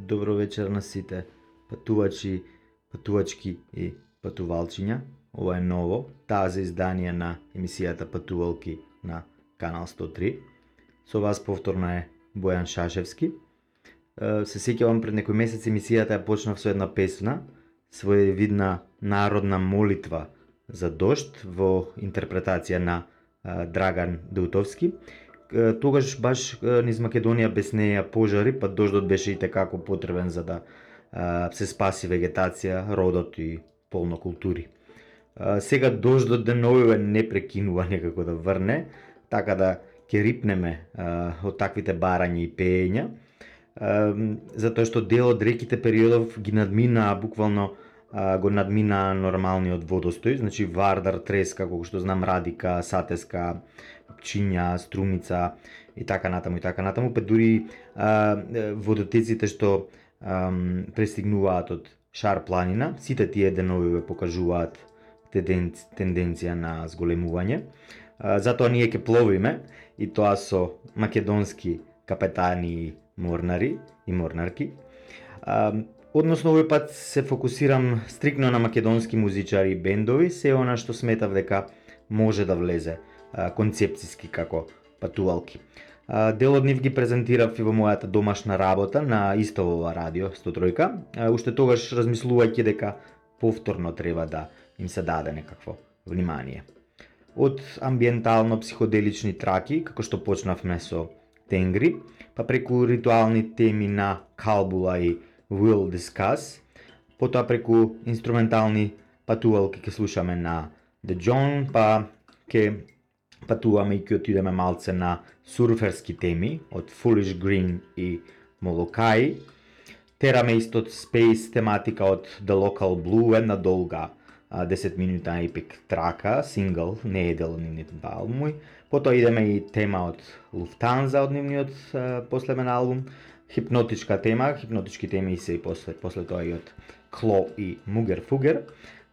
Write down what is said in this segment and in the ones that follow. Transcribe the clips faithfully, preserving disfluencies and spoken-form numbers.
Добро вечер на сите патувачи, патувачки и патувалчиња. Ова е ново, тази издание на емисијата Патувалки на Канал сто три. Со вас повторно е Бојан Шашевски. Се сеќавам пред некој месец емисијата ја почнав со една песна, своевидна народна молитва за дожд во интерпретација на Драган Дутовски. Тогаш баш низ Македонија беснеја пожари, па дождот беше и текако потребен за да се спаси вегетација, родот и полно култури. Сега дождот деновиве не прекинува некако да врне, така да ќе рипнеме од таквите барања и пеења, затоа што дел од реките периодов ги надмина, буквално го надмина нормалниот водостој, значи Вардар, Треска, колку што знам, Радика, Сатеска, Пчиња, Струмица и така натаму и така натаму, па дури а, водотеците што а, пристигнуваат од Шар планина, сите тие деновиве покажуваат тенденција на зголемување. А, затоа ние ќе пловиме и тоа со македонски капетани и морнари и морнарки. А, Односно, овој пат се фокусирам стрикно на македонски музичари и бендови, се она што сметав дека може да влезе а, концепциски како патувалки. А, дел од нив ги презентирав и во мојата домашна работа на исто ова радио сто три. А, уште тогаш размислувајќи дека повторно треба да им се даде некакво внимание. Од амбиентално-психоделични траки, како што почнавме со Тенгри, па преку ритуални теми на Калбула и Will Discuss, потоа преку инструментални патувалки ќе слушаме на The John, па ќе патуваме и ќе отидеме малце на сурферски теми од Foolish Green и Молокаи. Тераме исто Space тематика од The Local Blue, една долга десет минутна епик трака, сингл, не е дел од нивниот албум. Потоа идеме и тема од Lufthansa од нивниот последен албум. Хипнотичка тема, хипнотички теми се и после, после тоа и од Кло и Мугер Фугер,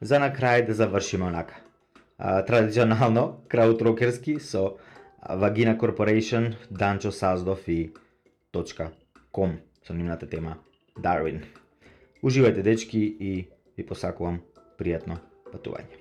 за на крај да завршиме онака. А, традиционално, краудрокерски со Vagina Corporation, Данчо Саздов и .com со нивната тема Darwin. Уживајте, дечки, и ви посакувам пријатно патување.